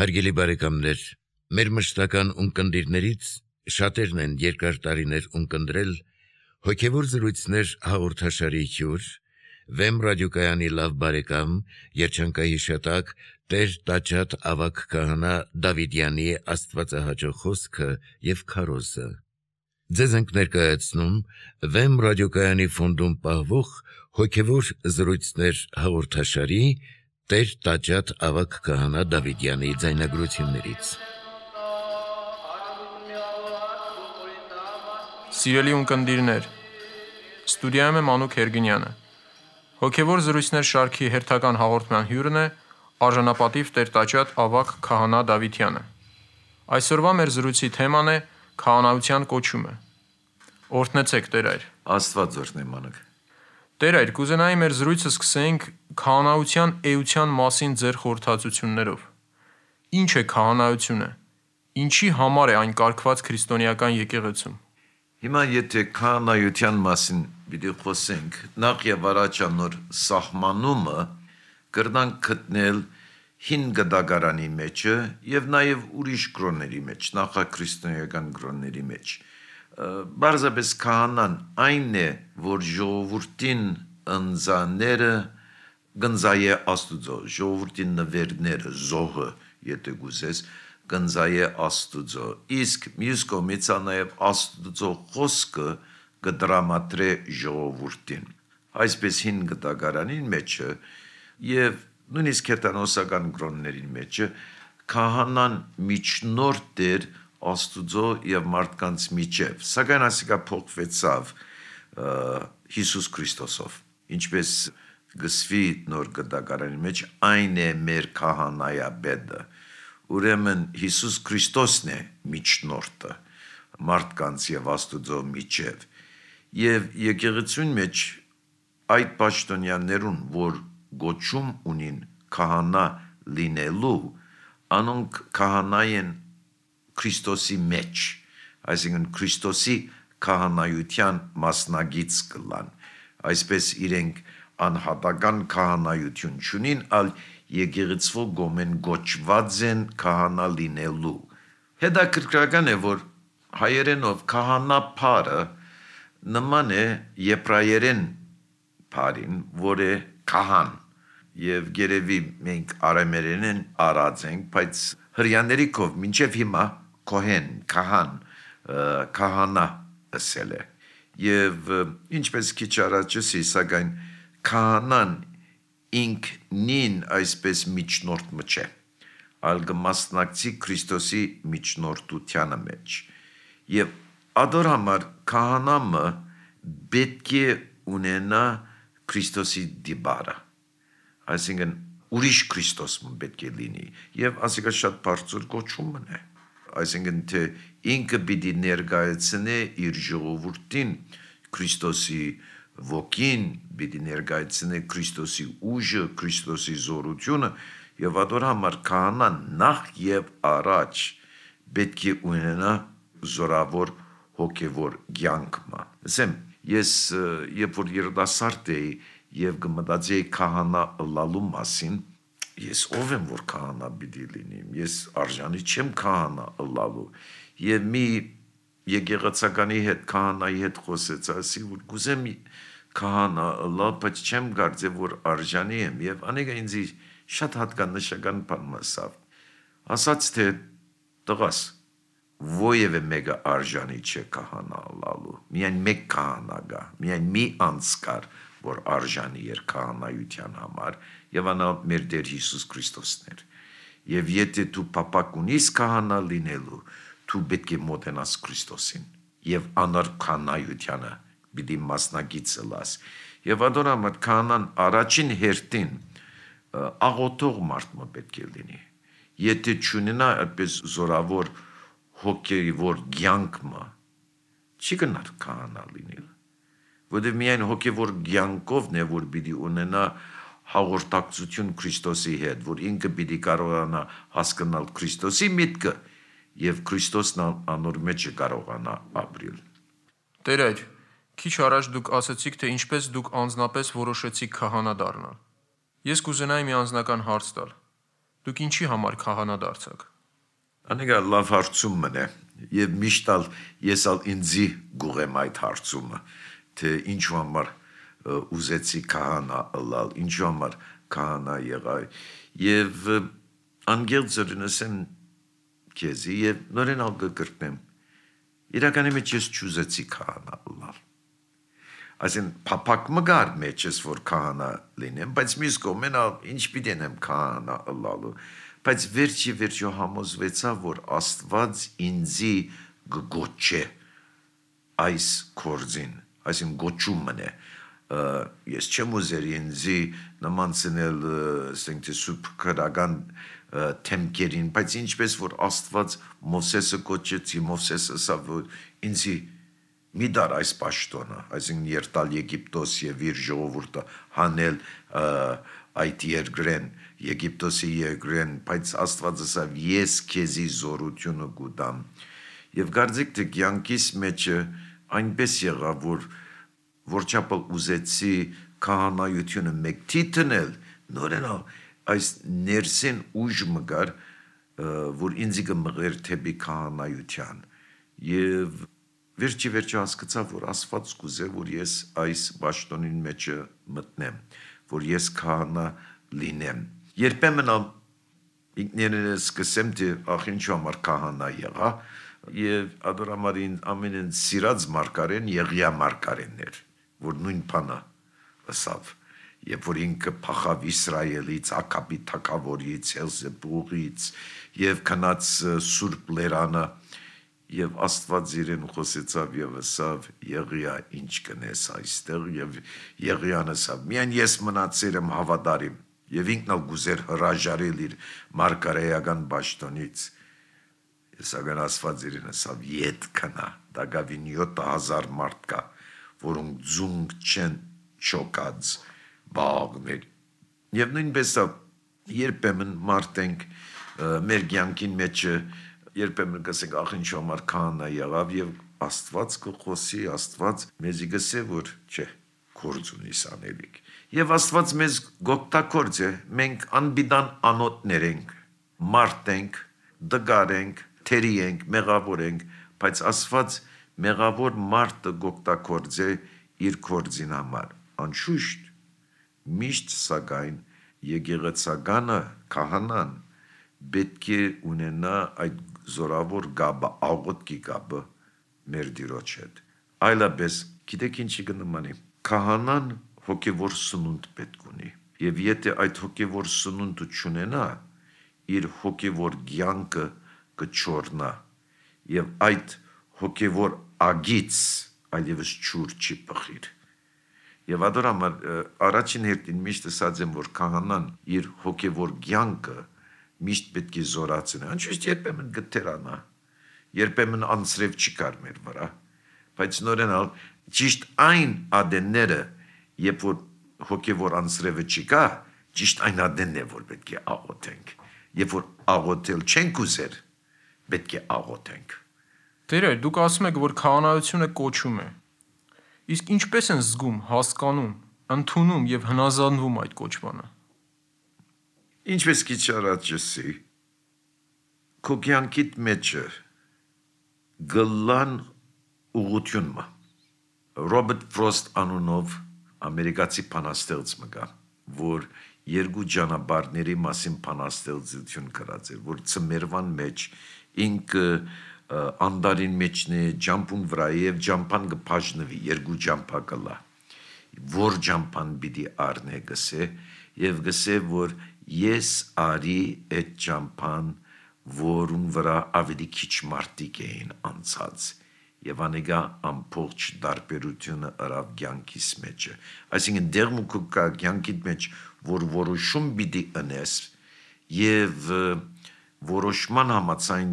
Հարգելի բարեկամներ, մեր մշտական ունկնդիրներից շատերն են երկար տարիներ ունկնդրել հոգևոր զրույցներ հաղորդաշարի հյուր, Վեմ ռադիոկայանի լավ բարեկամ, երջանկահիշատակ Տեր Տաճատ ավագ քահանա Դավիդյանի աստվածահաճո խոսքը եւ քարոզը։ Ձեզ ենք ներկայացնում Վեմ ռադիոկայանի ֆոնդում պահվող հոգևոր զրույցներ հաղորդաշարի Տեր Տաճատ ավագ քահանա Դավիդյանի ձայնագրություններից։ Սիրելի ունկնդիրներ, ստուդիայում է Մանուկ Հերգինյանը։ Հոգևոր զրույցներ շարքի հերթական հաղորդման հյուրն է արժանապատիվ Տեր Տաճատ ավագ քահանա Դավիդյանը։ Այսօրվա մեր զրույցի թեման է քահանայության կոչումը։ Օրհնեցեք, Տեր այր։ Աստված օրհնի, Մանուկ։ Տեր այր, կուզենայի մեր զրույցը սկսենք քահանայության էության մասին ձեր խորհրդածություններով։ Ինչ է քահանայությունը։ Ինչի համար է այն կարգված քրիստոնեական եկեղեցում։ Հիմա եթե քահանայության մասին պիտի խոսենք, նախ եւ առաջ անոր սահմանումը կրնանք գտնել հին գդագարանի մեջը եւ նաեւ ուրիշ գրոնների մեջ, նախաքրիստոնեական գրոնների մեջ։ Բարձրապես քահանան այն է, որ ժողովրդին ընձաները գնձայե Աստուծո, ժողովրդին նվերները, զոհը, եթե գուզես, գնձայե Աստուծո, իսկ մյուս կողմից նաև Աստուծո խոսքը կդրամատրե ժողովրդին։ Այսպես հին գտագարանին մեջը եւ նույնիսկ հեթանոսական գրոնների մեջը քահանան միջնորդ էր Աստուծո եւ մարդկանց միջև, սակայն ասիկա փոխվեցավ Հիսուս Քրիստոսով, ինչպես գսվի նոր գդագարանի մեջ այն է մեր քահանայապետը, ուրեմն Հիսուս Քրիստոսն է միջնորդը մարդկանց եւ Աստուծո միջև, եւ եկեղեցուն մեջ այդ պաշտոնյաներուն, որ գոչում ունին քահանա լինելու, անոնք քահանայեն Քրիստոսի մեջ, այսինքն Քրիստոսի քահանայության մասնագից կլան, այսպես իրենք անհատական քահանայություն չունին, ալ եկեղեցվո գոմեն գոչված են քահանա լինելու։ Հետաքրքրական է, որ հայերենով քահանա բառը նման է եբրայերեն բառին, որ է քահան, եւ գերեւի մենք արամերենեն արած ենք, բայց հрьяաների կով մինչեւ հիմա Քոհեն, քահան, քահանա ասել է։ Եվ ինչպես քիչ առաջ ասի, սակայն քահանան ինքնին այսպես միջնորդ մը չէ, այլ կմասնակցի Քրիստոսի միջնորդությանը մեջ։ Եվ ադոր համար քահանամը պետք է ունենա Քրիստոսի դիբարը, այսինքն ուրիշ Քրիստոսը պետք է լինի, եւ ասիկա շատ բարձր կոչումն է, այսինքն թե ինքը պիտի ներկայացնե իր ժողովրդին Քրիստոսի ոգին, պիտի ներկայացնե Քրիստոսի ուժը, Քրիստոսի զորությունը, եւ ադոր համար քահանան նախ եւ առաջ պետք է ունենա զորավոր հոգևոր կյանքը։ Ասեմ, ես երբ որ երիտասարդ էի եւ կմտածեի քահանա լալու մասին, ես ով եմ որ քահանա պիտի լինիմ, ես արժանի չեմ քահանա լալու, եւ մի եկեղեցականի հետ քահանայի հետ խոսեց, ասի որ գուզեմ քահանա լալ, բայց չեմ կարծե որ արժանի եմ, եւ անիկա ինձ շատ հատկանշական բան ասավ, ասաց թե տղաս, ովևէ մեկը արժանի չէ քահանա լալու, միայն մեկ քահանա գա, միայն մի անձ կար, որ արժանի էր քահանայության համար, եւ անա մեր Տեր Հիսուս Քրիստոսն էր։ Եվ եթե դու պապակ ունիս քահանա լինելու, դու պետք է մոտենաս Քրիստոսին եւ անար քահանայությանը պիտի մասնակից լաս։ Եվ ադոր համար քահանան առաջին հերթին աղոթող մարդ մը պետք է լինի։ Եթե չունենա այդպես զորավոր հոգևոր կյանք մը, չի գնար քահանա լինել։ Որտեղ միայն հոգևոր կյանքով է որ պիտի ունենա հաղորդակցություն Քրիստոսի հետ, որ ինքը պիտի կարողանա հասկանալ Քրիստոսի միտքը եւ Քրիստոսն անոր մեջ կարողանա ապրել։ Տեր այր, քիչ առաջ դուք ասացիք, թե ինչպես դուք անձնապես որոշեցիք քահանա դառնալ։ Ես կուզենայի մի անձնական հարց տալ։ Դուք ինչի համար քահանա դարձաք։ Անիկա լավ հարցում է, եւ միշտ ես ինձի գուղեմ այդ հարցումը, թե ինչու համար ուզեցի քահանա ըլլալ, ինչու համար քահանա եղա, եւ անգերձորինսեմ քեզի եւ նորեն ալգկրտեմ։ Իրականի մեջ ես չուզեցի քահանա ըլլալ։ Այսին փափակ մգար մեջ ես որ քահանա լինեմ, բայց մյուս կողմեն ինչ պիտի եմ քահանա ըլլալու, բայց վերջի համոզվեցա, որ Աստված ինձի գոչե այս կորձին, այսին գոչումն է, ես չեմ ուզեր ինձի նմանցնել ասենք թե սուրբ քրական թեմքերին, բայց ինչպես որ Աստված Մովսեսը գոչեցի, Մովսեսը ասա որ ինձի մի դար այս պաշտոնը, այսինքն երտալ Եգիպտոս եւ իր ժողովուրդը հանել այդ երկրեն, Եգիպտոսի երկրեն, բայց Աստված ասավ ես քեզի զորությունը կուտամ եւ գարձիկ թե կյանքիս մեջը այնպես եղավ որ չափել ուզեցի քահանայությունը մեկ թիթնել նորեն այս ներսեն ուժ մգար որ ինձ կմղեր թեպի քահանայության եւ վերջի հասկացա որ Աստված կուզե որ ես այս պաշտոնին մեջը մտնեմ որ ես քահանա լինեմ երբեմն ինքներս սկսեմ թե ախինչու համար քահանա եղա եւ ադորամարին ամենն սիրած մարգարեն Եղիա մարգարեններ որ նույն բանը ասավ երբ որ ինքը փախավ Իսրայելից Ակաբի թագավորից Էլզեբուղից եւ քնած Սուրբ Լերանը եւ Աստված իրեն խոսեցավ եւ ասավ Եղիա ինչ կնես այստեղ եւ Եղիան ասավ միայն ես մնացել եմ հավատարիմ եւ ինքն ալ գուզեր հրաժարել իր մարգարեական պաշտոնից Սակայն Աստված իրեն ասավ ետ քնա դակավին 7000 մարդ կա որոնք ձունգ չեն չոկած բաղներ եւ նույնպես երբեմն մարդենք մեր կյանքին մեջ երբեմն կասենք ախ ինչ համար քահանա եղավ եւ Աստված կխոսի Աստված մեզի գսե որ չէ կորձ ունիս անելիք եւ Աստված մեզ գոկտակորձ է մենք անբիդան անոտներ ենք մարդ ենք դգար ենք թերի ենք մեղավոր ենք բայց Աստված մեղավոր մարդը գոկտակորձ է իր կորձին համար անշուշտ միշտ սակայն եկեղեցականը քահանան պետք է ունենա այդ զորավոր գաբը աղոտքի գաբը մեր Տիրոջ հետ այլապես գիտեք ինչի կնմանի քահանան հոգևոր սնունդ պետք ունի եւ եթե այդ հոգևոր սնունդը չունենա իր հոգևոր կյանքը կչորնա եւ այդ հոգևոր ագից այլևս ճուր չի բխիր եւ ադորամար առաջին հերթին միշտ ասած եմ որ քահանան իր հոգևոր կյանքը միշտ պետք է զորացնի անշուշտ երբեմն գտերանա երբեմն անցրև չի կար մեր վրա բայց նորենալ ճիշտ այն ադենները երբ որ հոգևոր անցրևը չի կա ճիշտ այն ադենն է որ պետք է աղոթենք երբ որ աղոթել չենք ուզեր պետք է աղոթենք Տեր դուք ասում եք որ քահանայությունը կոչում է Իսկ ինչպես են զգում, հասկանում, ընդունում եւ հնազանդվում այդ կոչմանը Ինչպես քիչ առաջ ասի քո կյանքիդ մեջը գլան ուղղությունը Ռոբերտ Ֆրոստ անունով ամերիկացի բանաստեղծ մգա որ երկու ճանապարհների մասին բանաստեղծություն գրած էր որ ծմերվան մեջ ինքը անդարին մեջն է ջամփուն վրա եւ ջամփան կփաժնվի երկու ջամփա կլա որ ջամփան պիտի առնե գսե եւ գսե որ ես արի այդ ջամփան որուն վրա ավելի քիչ մարդիկ էին անցած եւ անեգա ամբողջ դարբերությունը արավ կյանքիս մեջը այսինքն դերմուկը կյանքիդ մեջ որ որոշում պիտի անես եւ որոշման համաձայն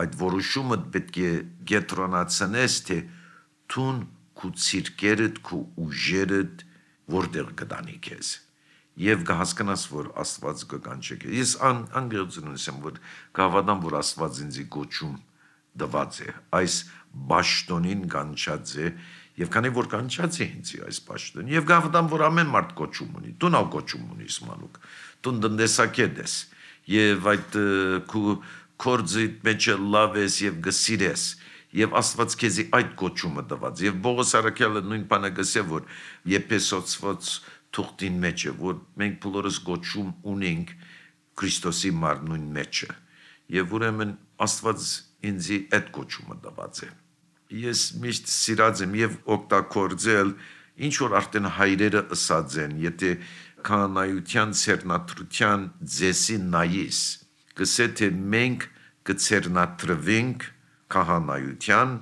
այդ որոշումը պետք է գետրոնացնես թե տուն քու ցիրկերդ քու ուժերդ որտեղ կդանի քեզ եւ կհասկանաս որ Աստված կկանչի քեզ ես անգերությունն եմ որ կհավատամ որ Աստված ինձ գոչում դված է այս բաշտոնին կանչած է եւ քանի որ կանչած է ինձ այս բաշտոնին եւ կհավատամ որ ամեն մարդ գոչում ունի դու նավ գոչում ունիս մանուկ դու դնդեսակետ ես եւ այդ քու կորձիդ մեջ լավ ես եւ գսիրես եւ Աստված քեզի այդ կոչումը տված եւ Բողոս Արաքյալը նույն բանը գսե որ Եփեսոց թուղթին մեջ է որ մենք բոլորս կոչում ունենք Քրիստոսի մարմնուն մեջը եւ ուրեմն Աստված ինձի այդ կոչումը տված է ես միշտ սիրած եմ եւ օգտագործել ինչ որ արդեն հայրերը ըսած են եթե կանայության ցերնատրության ձեսի նայիս գսե թե մենք կցերնատրվենք քահանայության,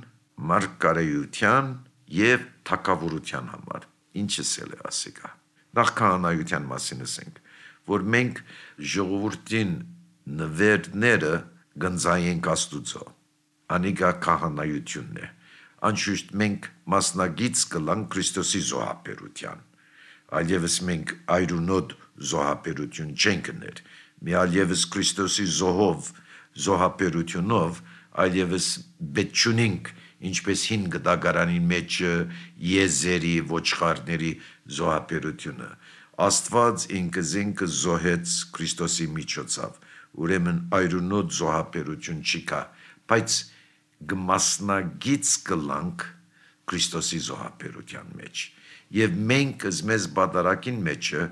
մարգարեության եւ թագավորության համար։ Ինչս է ասիկա։ Նախ քահանայության մասին ասենք, որ մենք ժողովրդին նվերները գնձայենք Աստուծո։ Անիկա քահանայությունն է։ Անշուշտ մենք մասնագից կլանք Քրիստոսի զոհաբերության։ Այլևս մենք այրունոտ զոհաբերություն չենք ներ։ Մի այլևս Քրիստոսի զոհաբերությունով այլևս բեչունինք ինչպես հին գդագարանի մեջ եզերի ոչխարների զոհաբերությունը Աստված ինքզինքը զոհեց Քրիստոսի միջոցով ուրեմն այրունոտ զոհաբերություն չկա բայց գմասնագից կլանք Քրիստոսի զոհաբերության մեջ եւ մենք մեզ բادرակին մեջը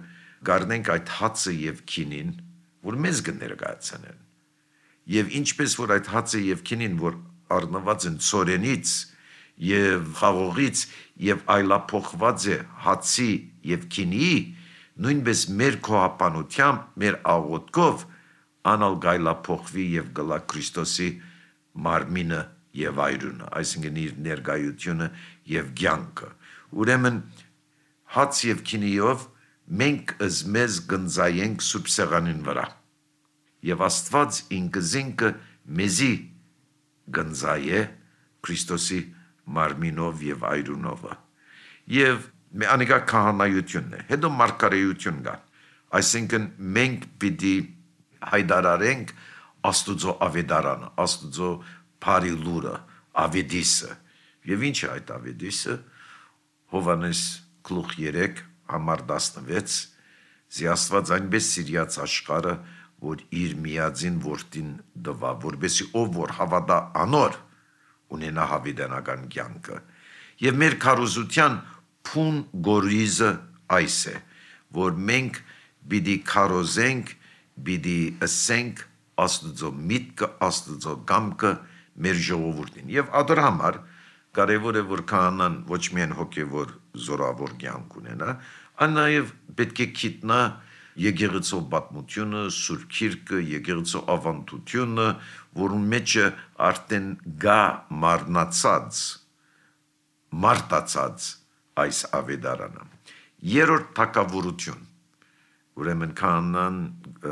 գարնենք այդ հացը եւ քինին որ մեզ կներկայացնեն Եվ ինչպես որ այդ հացը եւ քինին որ առնված են ծորենից եւ խաղողից եւ այլափոխված է հացի եւ քինի նույնպես մեր քոհապանությամբ մեր աղոթքով անալ գայլափոխվի եւ գլա Քրիստոսի մարմինը եւ այրունը այսինքն իր ներկայությունը եւ կյանքը ուրեմն հաց եւ քինիով մենք մեզ գնձայենք սուրբ սեղանին վրա Եվ Աստված ինքզինքը մեզի գնձայե Քրիստոսի մարմինով եւ այրունով եւ անիկա քահանայությունն է հետո մարգարեություն կա այսինքն մենք պիտի հայտարարենք Աստուծո ավետարանը Աստուծո բարի լուրը ավետիսը եւ ինչ է այդ ավետիսը Հովանես գլուխ 3 համար 16 զի Աստված այնպես սիրած աշխարհը որ իր միածին որդին դվա, որբեսի ով որ հավատա անոր, ունենա հավիտենական կյանքը։ Եվ մեր քարոզության փուն գորիզը այս է, որ մենք պիտի քարոզենք, պիտի ասենք Աստուծո միտքը, Աստուծո կամքը մեր ժողովրդին։ Եվ ադոր համար կարևոր է որ քահանան ոչ միայն հոգևոր զորավոր կյանք ունենա, այլ նաև պետք է գիտնա Եկեղեցու պատմությունը, Սուրբ Գիրքը, եկեղեցու ավանդությունը, որում մեջը արդեն գա մարտացած այս ավետարանը։ Երրորդ թագավորություն, ուրեմն քահանան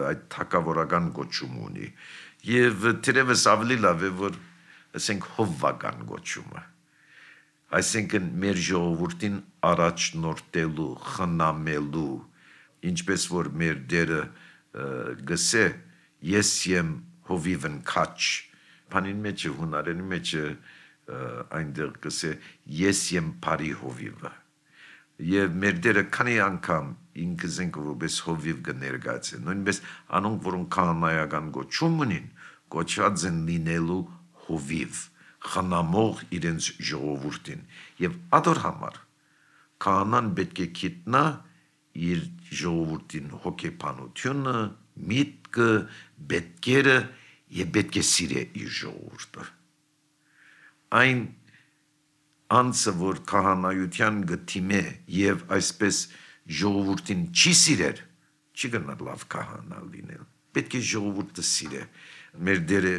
այդ թագավորական գոչում ունի, եւ թերևս ավելի լավ է որ ասենք հովվական գոչումը։ Այսինքն մեր ժողովրդին առաջնորդելու, խնամելու ինչպես որ մեր դերը գսե ես եմ հովիվն քաչ բանին մեջ հունարենի մեջ այնտեղ գսե ես եմ բարի հովիվը եւ մեր դերը քանի անգամ ինքզենք որպես հովիվ կներկայացե նույնպես անոնք որոնք քահանայական գոչում ունին գոչած են լինելու հովիվ խնամող իրենց ժողովրդին եւ ադոր համար քահանան պետք է գիտնա իր ժողովրդին հոգեբանությունը, միտքը, պետքերը եւ պետք է սիրե իր ժողովուրդը։ Այն անձը, որ քահանայության գտիմե եւ այսպես ժողովրդին չի սիրեր, չի գնա լավ քահանա լինել։ Պետք է ժողովուրդը սիրե։ Մեր դերը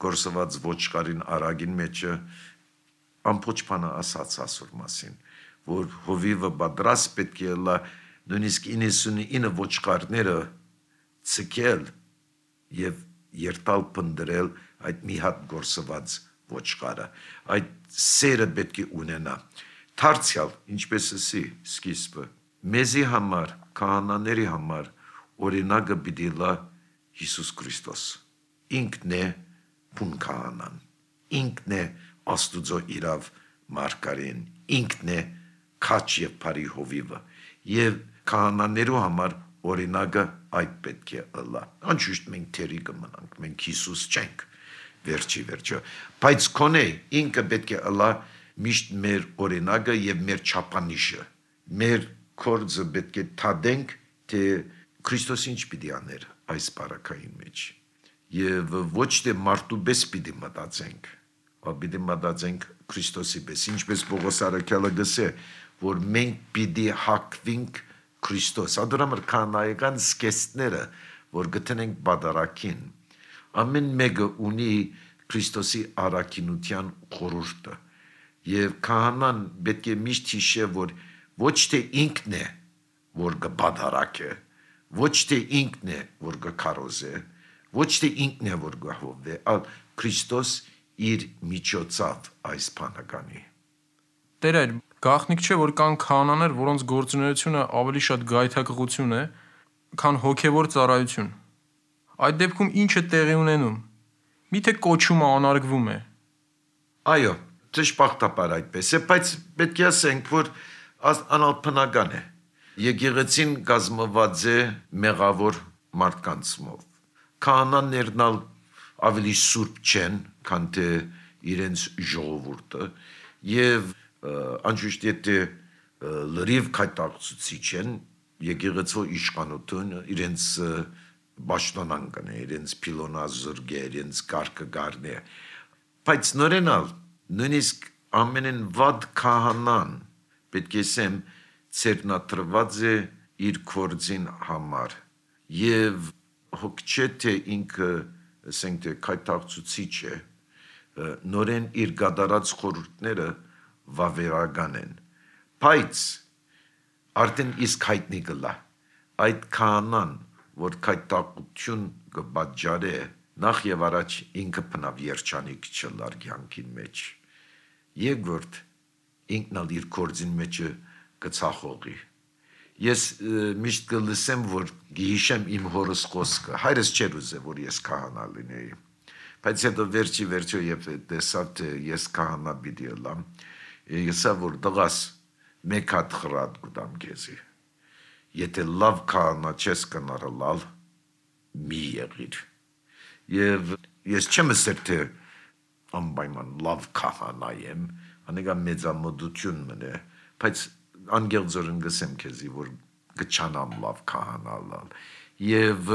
կորսված ոչխարին արագին մեջը ամբողջ բանը ասաց ասոր մասին, որ հովիվը պատրաստ պետք է լա նույնիսկ 99 ոչխարները ցկել եւ երթալ պնդրել այդ մի հատ գործված ոչխարը այդ սերը պետք է ունենա դարձյալ ինչպես էսի սկիզբը մեզի համար քահանաների համար օրինակը պիտի լա Հիսուս Քրիստոս ինքն է բուն քահանան ինքն է Աստուծո իրավ մարգարեն ինքն է քաչ եւ բարի հովիվը եւ քահանաներու համար օրինակը այդ պետք է ըլլա։ Անշուշտ մենք թերի կմնանք, մենք Հիսուս չենք, վերջը, բայց կոնե ինքը պետք է ըլլա միշտ մեր օրինակը եւ մեր չափանիշը, մեր կորձը պետք է թադենք, թե Քրիստոս ինչ պիտի աներ այս բարակային մեջ, եւ ոչ թե մարդու պես պիտի մտածենք, պիտի մտածենք Քրիստոսի պես, ինչպես Պողոս առաքյալը գսե, որ մենք պիտի հակվենք Քրիստոս, ադորամր կանայական սկեստները, որ գտնենք բադարակին, ամեն մեկը ունի Քրիստոսի առաքինության խորհուրդը, եւ քահանան պետք է միշտ հիշե, որ ոչ թե ինքն է, որ կբադարակե, ոչ թե ինքն է, որ կքարոզե, ոչ թե ինքն է, որ կհովվե, այլ Քրիստոս իր միջոցով այս բանականի։ Տեր այր, գաղտնիք չէ, որ կան քահանաներ, որոնց գործունեությունը ավելի շատ գայթակղություն է, քան հոգևոր ծառայություն։ Այդ դեպքում ինչ է տեղի ունենում։ Միթե կոչումը անարգվում է։ Այո, ճշմարտաբար այդպես է, բայց պետք է ասենք, որ անալփնական է։ Եկեղեցին կազմված է մեղավոր մարդկանցով։ Քահանաներն ավելի սուրբ չեն, քան թե իրենց ժողովուրդը, եւ անշուշտ եթե լրիվ քայտակցուցիչ են, եկեղեցու իշխանությունը իրենց պաշտոնանքն է, իրենց փիլոնազուրգ է, իրենց կարգագարն է, բայց նորենալ նույնիսկ ամենեն վատ քահանան պետք է ասեմ ցերնատրված է իր կորձին համար եւ հոգ չէ թե ինքը ասենք թե քայտակցուցիչ է, նորեն իր գադարած խորհուրդները վավերական են, բայց արդեն իսկ հայտնի կլա, այդ քահանան, որ քայտակություն կպատճառե, նախ եւ առաջ ինքը բնավ երջանիկ չլար կյանքին մեջ, երկրորդ ինքն ալ իր կորձին մեջը կցախողի։ Ես միշտ կլսեմ, որ գիշեմ իմ հորս խոսքը, հայրս չէր ուզե, որ ես քահանա լինեի, բայց հետո վերջը երբ տեսավ, թե ես քահանա պիտի ըլամ, եսա, որ դղաս մեկ հատ խրատ կուտամ քեզի, եթե լավ քահանա չես կնարլալ, մի եղիր, եւ ես չեմ ասել, թե անպայման լավ քահանա եմ, անեգա մեծամոդություն մնե, բայց անգեղձորեն գսեմ քեզի, որ գչանամ լավ քահանալալ, եւ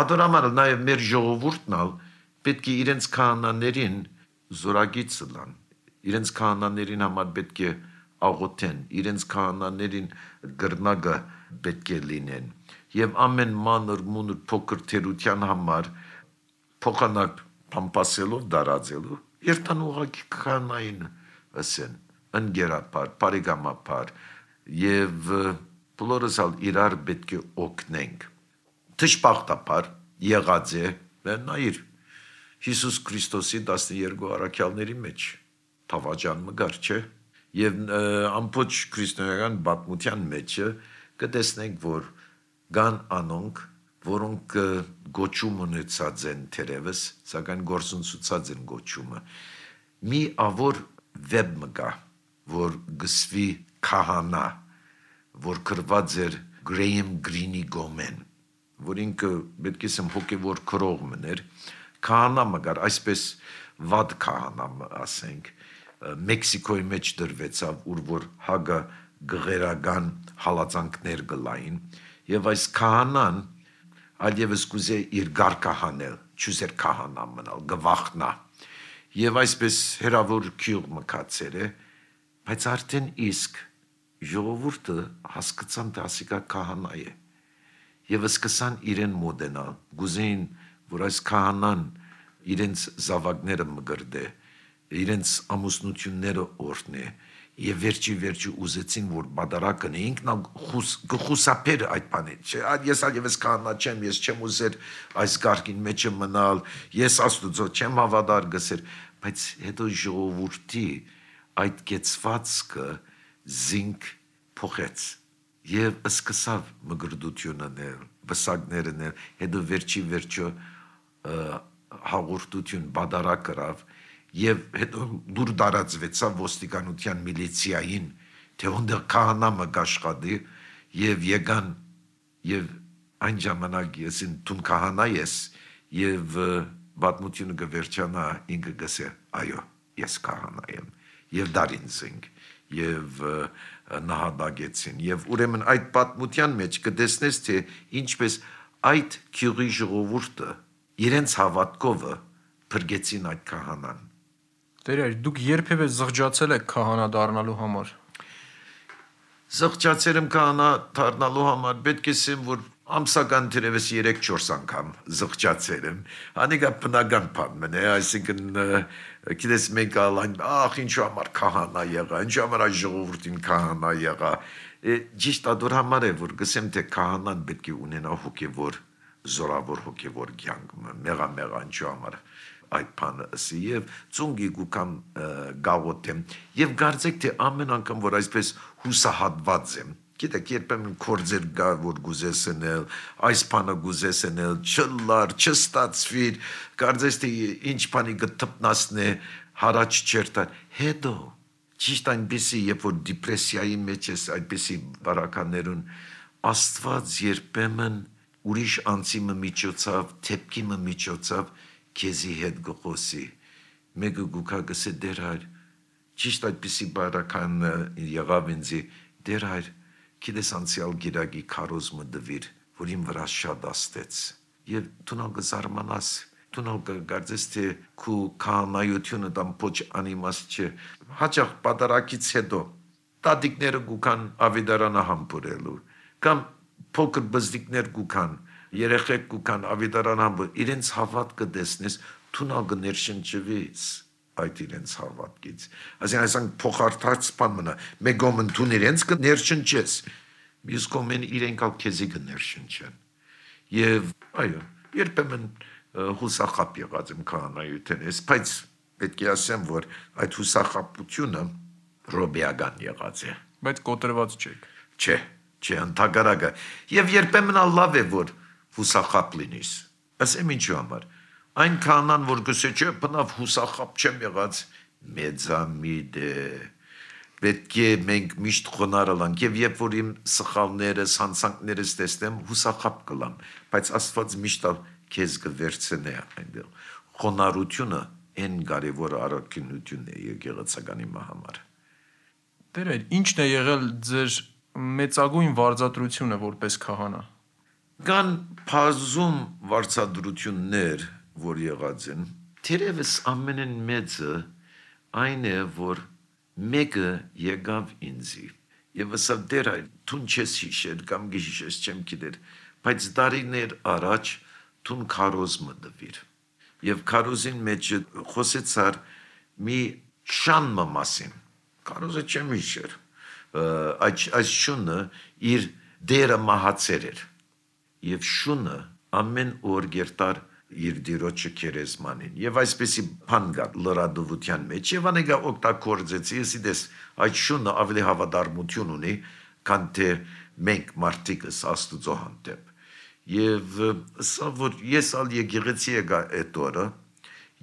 ադորամար նաեւ մեր ժողովուրդն պետք է իրենց քահանաներին զորագից լան, իրենց քահանաներին համար պետք է աղոթեն, իրենց քահանաներին գրնագը պետք է լինեն, եւ ամեն մանր մունր փոքր թերության համար փոխանակ փամփասելով դարածելու, երթան ուղակի քահանային ասեն, ընկերապար, բարեկամապար եւ բոլորս իրար պետք է օգնենք։ Դժբախտաբար եղած է նայիր Հիսուս Քրիստոսի 12 առաքյալների մեջ թավաճան մգար չէ եւ ամբողջ քրիստոնեական պատմության մեջ կտեսնենք, որ կան անոնք, որոնք գոչում ունեցած են թերևս, սակայն գործունեացած են գոչումը։ Մի ավոր վեբ մգա, որ գսվի քահանա, որ գրված էր Գրեյեմ Գրինի գոմեն, որ ինքը պետք է ասեմ հոգևոր քրող մներ, քահանա մգար, այսպես վատ քահանա ասենք, Մեքսիկոյի մեջ դրվեցավ, ուր որ հագա գղերական հալածանքներ գլային, եւ այս քահանան այլևս կուզե իր գարկահանել, չուզեր քահանա մնալ, գվախնա, եւ այսպես հերավոր քյուղ մկացեր է, բայց արդեն իսկ ժողովուրդը հասկացան, թե ասիկա քահանա է, եւ սկսան իրեն մոդենալ, գուզեին, որ այս քահանան իրենց զավակները մգրդե, իրենց ամուսնությունները օրհնե, եւ վերջի ուզեցին, որ բադարակն է, ինքն գխուսափեր այդ բանից, ես այլևս քահանա չեմ, ես չեմ ուզեր այս գարկին մեջը մնալ, ես Աստուծո չեմ հավատար գսեր, բայց հետո ժողովուրդի այդ կեցվածքը զինք փոխեց եւ սկսավ մգրդություններ, վսակներներ, հետո վերջը հաղորդություն բադարակ կրավ եւ հետո դուր դարածվեցավ ոստիկանության միլիցիային, թե ոնդեր քահանա մգաշխադի եւ եկան եւ այն ժամանակ ես դու քահանա ես եւ պատմությունը կվերջանա ինքը գսե այո ես քահանա եմ եւ դարին զինք եւ նահատակեցին եւ ուրեմն այդ պատմության մեջ կտեսնես թե ինչպես այդ քյուրի ժողովուրդը իրենց հավատքով փրկեցին այդ քահանան Տեր, դուք երբևէ զղջացել եք քահանա դառնալու համար։ Զղջացել եմ քահանա դառնալու համար, պետք է ասեմ, որ ամսական թերևս 3-4 անգամ զղջացել եմ։ Անիկա բնական բան է, այսինքն գիտես մենք ալայն, ինչու համար քահանա եղա, ինչու համար այս ժողովրդին քահանա եղա։ Ճիշտ ադոր համար է, որ գսեմ թե քահանան պետք է ունենա հոգևոր, զորավոր հոգևոր կյանք, մեղա ինչու համար այդ բանը ասի եւ ծունգի գուքամ գավոթեմ եւ կարծեք թե ամեն անգամ որ այսպես հուսահատված եմ գիտեք երբեմն կորձեր գա որ գուզեսնել այս բանը գուզեսնել չլար չստացվիր կարծես թե ինչ բանի գտնասնե հարաճ չերտան հետո ճիշտ այնպեսի երբ որ դիպրեսիայի մեջ ես այդպեսի բարականներուն Աստված երբեմն ուրիշ անձի միջոցով թեփքի միջոցով Քեզի հետ գխոսի մեկը գուքա գսե դերար ճիշտ այդպիսի բարական եղավ ինձի դերար քիդես անցյալ գիրագի քարոզմը դվիր որ իմ վրա շատ աստեց եւ դու կզարմանաս դու կգարձես թե քու քահանայությունը դամ փոչ անիմաստ չէ հաճախ պատարակից հետո տատիկները գուքան ավիդարանը համբուրելու կամ փոքր բզդիկներ գուքան երեխեք գուքան ավիդարանամբը իրենց հավատքը դեսնես թունալ գներշնչվից այդ իրենց հավատքից այսինքն փոխարթած բան մնա մեգոմն թուն իրենց կներշնչես մյուս կողմեն իրենք ալ քեզի կներշնչեն եւ այո երբեմն հուսախապ եղած եմ քահանայութենես բայց պետք է ասեմ որ այդ հուսախապությունը ռոբիական եղած է Բայց կոտրված չեք չէ ընդհակառակը եւ երբեմն լավ է որ հուսախապ լինիս ասեմ ինչու համար այն քահանան որ գսե չէ բնավ հուսախապ չեմ եղած մեծամիտ է պետք է մենք միշտ խոնարհանանք եւ երբ որ իմ սխալներս հանցանքներս տեսնեմ հուսախապ կլամ բայց Աստված միշտ քեզ կվերցնե այնտեղ խոնարհությունը այն կարևոր առաքինությունն է եկեղեցականի համար Տեր ինչն է եղել ձեր մեծագույն վարձատրությունը որպես քահանա Կան բազում վարձատրություններ, որ եղած են, թերևս ամենեն մեծը այն է, որ մեկը եկավ ինձի, եւ ասավ դեր այ թուն չես հիշեր կամ գիշես չեմ գիտեր, բայց դարիներ առաջ թուն քարոզմը դվիր, եւ քարոզին մեջ խոսեցար մի շանմը մասին, քարոզը չեմ հիշեր, այս շունը իր դերը մահացեր էր, Եվ շունը ամեն օր գերտար իր դիրոջը քերեզմանին եւ այսպեսի բան գա լրադովության մեջ եւ անեգա օգտագործեցի ես այդ շունը ավելի հավատարմություն ունի քան թե մենք մարդիկս աստուծո հանդեպ եւ սա որ ես ալ եկեղեցի եկա այդ օրը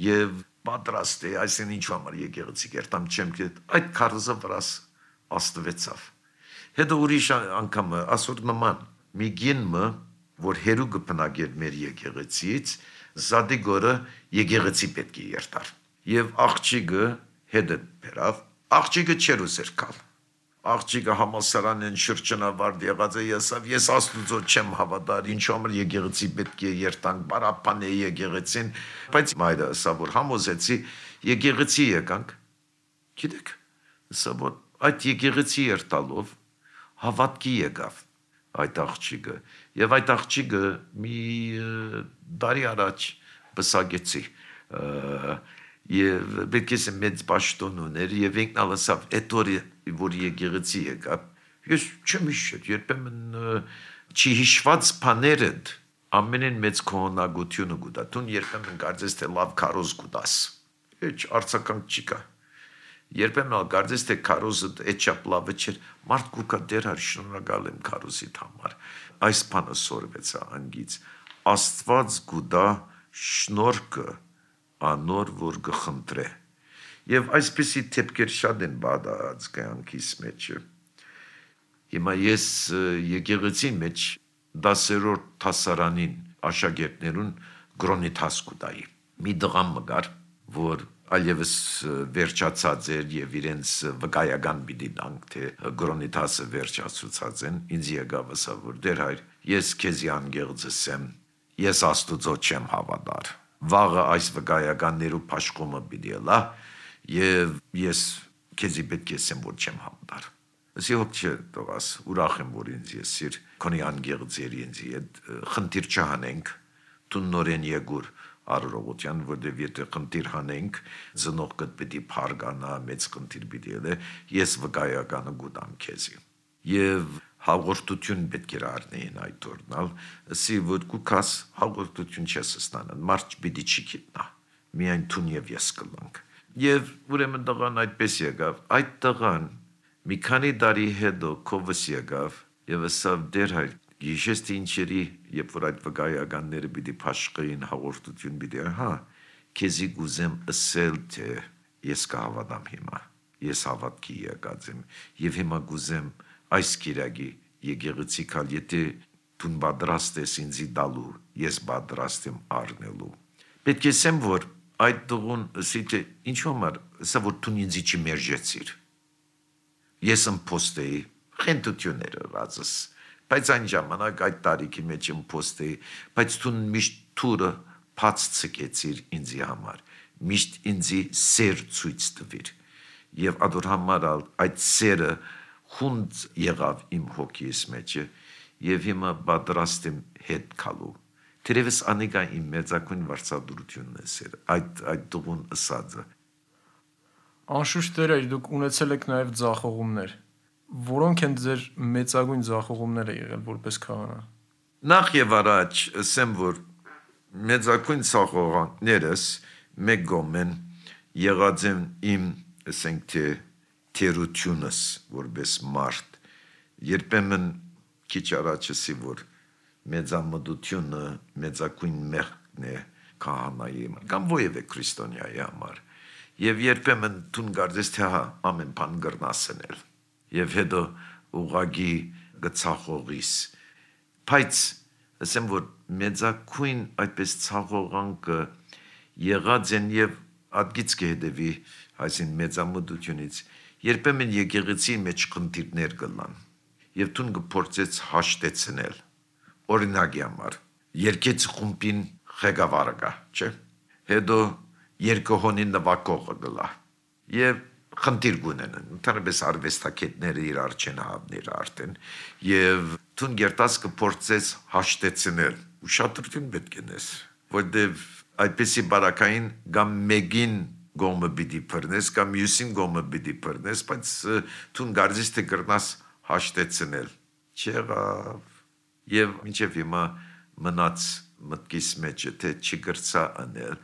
եւ պատրաստ է այսին ինչ համար եկեղեցի գերտամ չեմ գիտ այդ քարոզը վրաս աստվեցավ հետո ուրիշ անգամ ասոր նման մի գինը որ հերու կպնագեր մեր եկեղեցից, զադիգորը եկեղեցի պետք է երտար։ Եվ աղջիկը հետը բերավ, աղջիկը չեր ուզեր կալ։ Աղջիկը համալսարանեն շրջանավարդ եղած է եսավ, ես աստուծո չեմ հավատար, ինչ համար եկեղեցի պետք է երտանք, բարապան է եկեղեցին, բայց մայրը ասա, որ համոզեցի, եկեղեցի եկանք, գիտեք, ասա, որ այդ եկեղեցի երտալով հավատքի եկավ այդ աղջիկը եւ այդ աղջիկը մի տարի առաջ բսագեցի եւ պետք է մեծ պաշտոն ուներ եւ ինքն ասավ այդ օրը որ եկեղեցի եկավ ես չեմ հիշել երբեմն չի հիշված բաները ամենեն մեծ քողնակությունը գուտա տուն երբեմն կարծես թե լավ քարոզ գուտաս ինչ արցականք չի կա Երբեմն կարծես թե քարոզը էչապ լավը չէր, մարդ կուկա դերար շնորհակալ եմ քարոզիդ համար, այս բանը սորվեցա անգից, Աստված գուտա շնորհքը անոր որ գխնդրե, եւ այսպեսի թեփքեր շատ են բադած կյանքիս մեջ, հիմա ես եկեղեցի մեջ 10-րդ հասարանին աշակերտներուն գրոնիթաս կուտայի։ Մի դղամ մգար, որ այլևս վերջացած էր եւ իրենց վկայական պիտի տանք, թե գրոնիթասը վերջացուցած են, ինձ եկավ ասա, որ դեր հայր, ես քեզի անգեղձս եմ, ես Աստուծո չեմ հավատար։ Վաղը այս վկայականներու փաշխումը պիտի լա եւ ես քեզի պետք է ասեմ, որ չեմ հավատար։ Ասի հոգ չէ տղաս, ուրախ եմ, որ ինձ ես իր քոնի անգեղձերի ինձ հետ խնդիր չհանենք, տուննորեն եկուր առողջության, որտեղ եթե խնդիր հանենք, ծնողքը պիտի փարգանա, մեծ խնդիր պիտի լե, ես վկայականը գուտամ քեզի։ Եվ հաղորդություն պետք է առնեին այդ օրնալ, ասի որ կուքաս հաղորդություն չես ստանան, մարդ պիտի չի գիտնա, միայն տուն եւ ես կլանք։ Եվ ուրեմն տղան այդպես եկավ, այդ տղան մի քանի տարի հետո կովս եկավ եւ ասավ դեր հայր գիշես թե ինչերի, երբ որ այդ վկայականները պիտի փաշխեին հաղորդություն պիտի, հա, քեզի գուզեմ ասել, թե ես կհավատամ հիմա, ես հավատքի եկած եմ, եւ հիմա գուզեմ այս կիրակի եկեղեցի կալ, եթե դու պատրաստ ես ինձի դալու, ես պատրաստ եմ առնելու։ Պետք է ասեմ, որ այդ դղուն ասի թե ինչ համար, ասա որ դու ինձի չմերժեցիր։ Ես ըմփոստեի, խենթությունները ռածս, բայց այն ժամանակ այդ տարիքի մեջ ըմփոստեի, բայց դու միշտ թուրը բաց ցկեցիր ինձի համար, միշտ ինձի սեր ցույց տվիր։ Եվ ադոր համար այդ սերը խունդ եղավ իմ հոգիս մեջը, եւ հիմա պատրաստ եմ հետ գալու։ Թերևս անիկա իմ մեծակույն վարչադրությունն է սեր, այդ դղուն ըսածը։ Անշուշտ դեր դուք ունեցել եք նաև ձախողումներ։ Որոնք են ձեր մեծագույն ձախողումները եղել որպես քահանա։ Նախ եւ առաջ ասեմ, որ մեծակույն ձախողանքներս մեկ գոմեն եղած են իմ, ասենք թե թերությունս որպես մարդ։ Երբեմն քիչ առաջ ասի, որ մեծամտությունը մեծակույն մեղքն է քահանայի կամ ովևէ քրիստոնյայի համար։ Եվ երբեմն դու գարձես թե հա ամեն բան գրնասնել։ Եվ հետո ուղագի գծախողիս։ Բայց ասեմ, որ մեծակույն այդպես ցախողանքը եղած են եւ ադգից կհետևի այսին մեծամտությունից երբեմն եկեղեցի մեջ խնդիրներ կլան եւ դու կփորձես հաշտեցնել օրինակի համար երկեց խումբին ղեկավարը կա, չէ՞։ Հետո երկհոնին նվակողը գլա եւ խնդիր գունեն ընդհանրապես արվեստագետները իրար չեն հավներ արդեն եւ դու գերտաս կփորձես հաշտեցնել ուշադրություն պետք է նես որտեւ այդպեսի բարակային կամ մեգին գոմը պիտի բռնես կամ մյուսին գոմը պիտի բռնես բայց դու գարձես թե կրնաս հաշտեցնել չեղավ եւ մինչեւ հիմա մնաց մտքիս մեջ թե չգրծա անել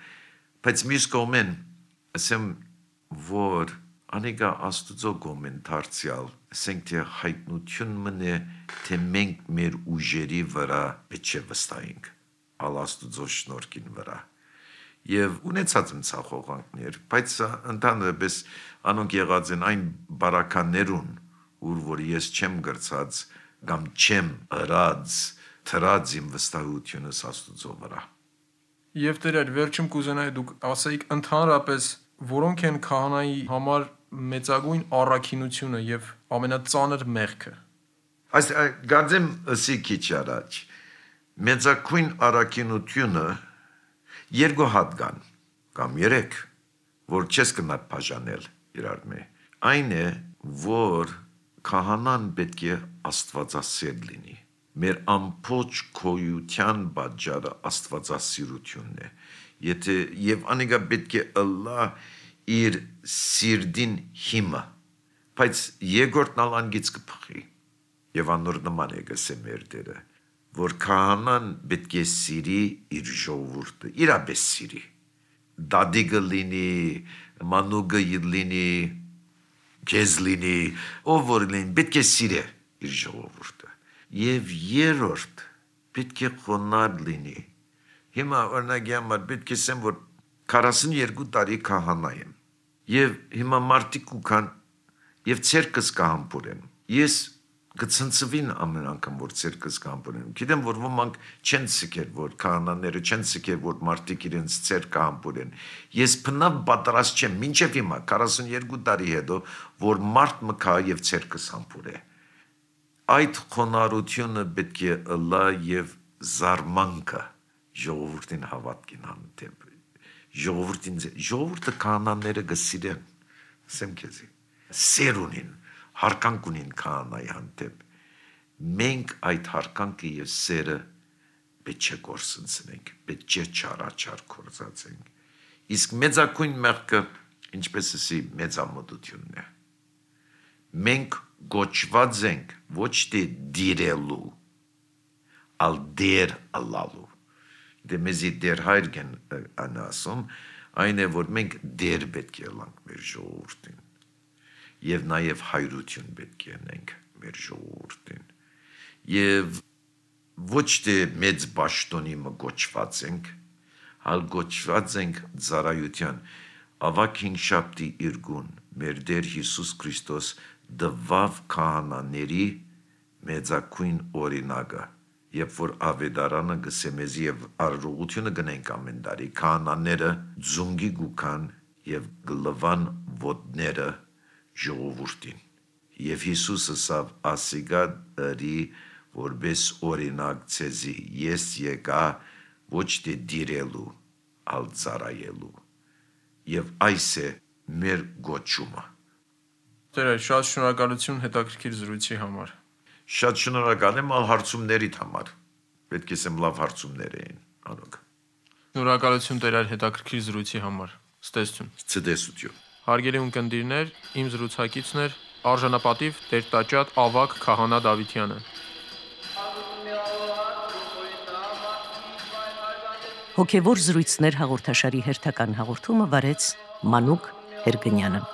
բայց մյուս կողմեն ասեմ որ անիկա աստուծո գոմեն դարձյալ ասենք թե հայտնություն մնե թե մենք մեր ուժերի վրա պետք է վստահենք ալ աստուծո շնորհքին վրա եւ ունեցած եմ ցախողանքներ բայց ընդհանրապես անոնք եղած են այն բարականներուն ուր որ ես չեմ գրծած կամ չեմ ըրած թրած իմ վստահությունս աստուծո վրա Եվ դեր վերջում կուզենայի դուք ասեիք ընդհանրապես որոնք են քահանայի համար մեծագույն առաքինությունը եւ ամենածանր մեղքը Այս գարձեմ ասի քիչ առաջ մեծագույն առաքինությունը երկու հատ կան կամ երեք որ չես կնա բաժանել իրար մե այն է որ քահանան պետք է աստվածասեր լինի մեր ամբողջ քոյության բաժարը աստվածասիրությունն է եթե եւ անիկա պետք է ըլլա իր սիրդին հիմա բայց երկրորդն ալանգից կփխի եւ անոր նման է գսեմ մեր դերը որ քահանան պետք է սիրի իր ժողովուրդը իրապես սիրի դադիգը լինի մանուգը լինի քեզ լինի ով որ լինի պետք է սիրի իր ժողովուրդը եւ երրորդ պետք է խոնար լինի հիմա օրինակի համար պետք է ասեմ որ 42 տարի քահանա եմ եւ հիմա մարտիկ ու կան եւ ցերկս կհամբուրեն ես կցնցվին ամեն անգամ որ ցերկս կամբուրեն։ Գիտեմ որ ոմանք չեն ցկեր որ քահանաները չեն ցկեր որ մարդիկ իրենց ցերկը ամբուրեն։ Ես բնավ պատրաստ չեմ մինչև հիմա 42 տարի հետո որ մարդ մկա եւ ցերկս ամբուրե։ Այդ խոնարհությունը պետք է ըլլա եւ զարմանքը ժողովրդին հավատքին հանդեպ։ Ժողովուրդը քահանաները գսիրեն, ասեմ քեզի, սերունին, հարկանք ունին քահանայի հանդեպ։ Մենք այդ հարկանքը եւ սերը պետք է գործընծնենք, պետք է չարաչար կործածենք։ Իսկ մեծակույն մեղքը, ինչպես ասի, մեծամտությունն է։ Մենք գոչված ենք ոչ թե դիրելու, ալ դեր ալալու։ Դե մեզի դեր հայրգեն անասում, այն է, որ մենք դեր պետք է լանք մեր ժողովուրդին և նաև հայրություն պետք է ենք մեր ժողովուրդին և ոչ թե մեծ բաշտոնի մը գոչված ենք, հալ գոչված ենք ծառայության ավակ հինգշաբթի իրգուն մեր Տեր Հիսուս Քրիստոս դվավ քահանաների մեծակույն օրինակը Երբ որ ավետարանը գսեմեզի եւ առողությունը գնենք ամեն տարի քահանաները ձունգի գուքան եւ գլվան ոտները ժողովուրդին եւ Հիսուսը սավ ասիգադի որբես օրինակ ցեզի ես եկա ոչ թե դիրելու ալ ծառայելու եւ այս է մեր գոչումը Տեր շատ շնորհակալություն հետաքրքիր զրույցի համար Շատ շնորհակալ եմ ալ հարցումներիդ համար։ Պետք է սեմ լավ հարցումներ էին, անոք։ Շնորհակալություն Տեր այդ հետաքրքիր զրույցի համար։ Ցտեսություն։ Ցտեսություն։ Հարգելի ունկնդիրներ, իմ զրուցակիցն էր արժանապատիվ Տեր-տաճատ ավակ քահանա Դավիթյանը։ Հոգևոր զրույցներ հաղորդաշարի հերթական հաղորդումը վարեց Մանուկ Հերգնյանը։